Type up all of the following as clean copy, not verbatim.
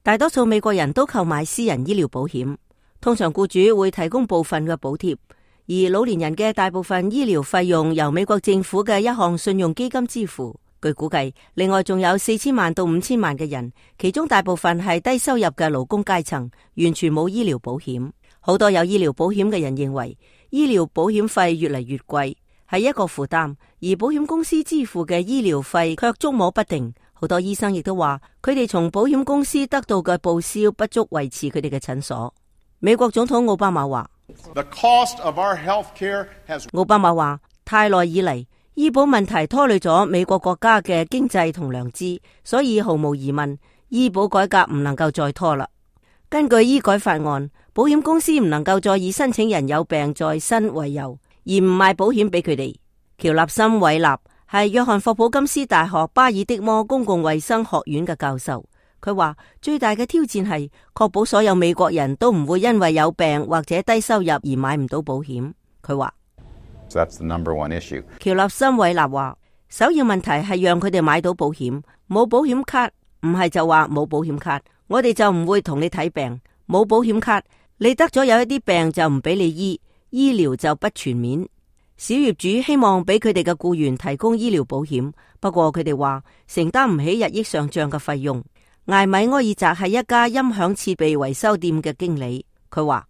大多數美國人都購買私人醫療保險，通常僱主會提供部分嘅補貼，而老年人嘅大部分醫療費用由美國政府嘅一項信用基金支付。據估計，另外仲有4000萬到5000萬嘅人，其中大部分係低收入嘅勞工階層，完全冇醫療保險。好多有醫療保險嘅人認為，醫療保險費越嚟越貴，係一個負擔，而保險公司支付嘅醫療費卻捉摸不定。好多醫生亦都話，佢哋從保險公司得到嘅報銷不足維持佢哋嘅診所。美國總統奧巴馬話，奧巴馬話，太耐以嚟，醫保問題拖累咗美國國家嘅經濟同良知，所以毫無疑問，醫保改革唔能夠再拖啦。根據醫改法案，保險公司唔能夠再以申請人有病在身為由，而唔賣保險俾佢哋。喬納森·韋納係約翰霍普金斯大學巴爾的摩公共衛生學院嘅教授，佢話最大嘅挑戰係確保所有美國人都唔會因為有病或者低收入而買唔到保險。佢話喬納森·韋納話，首要問題係讓佢哋買到保險。冇保險卡唔係就話冇保險卡，我哋就唔會同你睇病。冇保險卡，你得咗有一啲病就唔俾你醫，醫療就不全面。小業主希望俾佢哋嘅僱員提供醫療保險，不過佢哋話承擔唔起日益上漲嘅費用。艾米埃爾澤係一家音響設備維修店嘅經理，佢話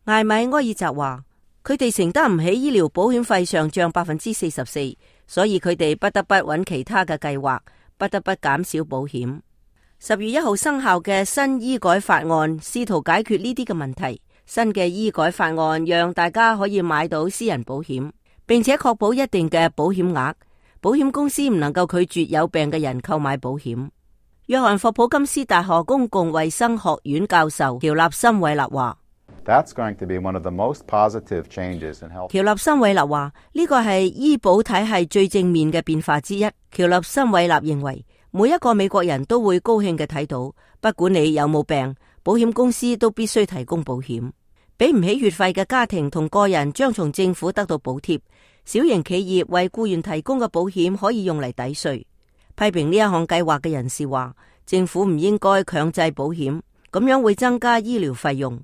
艾米埃爾澤話佢哋承擔唔起醫療保險費上漲44%，所以佢哋不得不揾其他嘅計劃，不得不減少保險。10月1號生效嘅新醫改法案試圖解決呢啲嘅問題。新嘅醫改法案讓大家可以買到私人保險，並且確保一定嘅保險額。保險公司唔能夠拒絕有病嘅人購買保險。約翰霍普金斯大學公共衛生學院教授喬納森·韋納話，喬納森·韋納話呢個係醫保體系最正面嘅變化之一。喬納森·韋納認為，每一個美國人都會高興嘅睇到，不管你有冇病，保險公司都必須提供保險。俾唔起月費嘅家庭同個人將從政府得到補貼，小型企業為僱員提供嘅保險可以用嚟抵稅。批評呢一項計劃嘅人士話，政府唔應該強制保險，咁樣會增加醫療費用。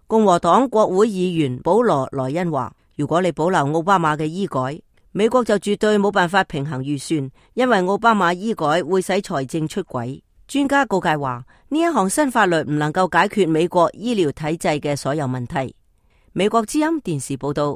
共和黨國會議員保羅·萊恩話，如果你保留奧巴馬嘅醫改，美國就絕對冇辦法平衡預算，因為奧巴馬醫改會使財政出軌。專家告誡話，呢一項新法律唔能夠解決美國醫療體制嘅所有問題。美國之音電視報道。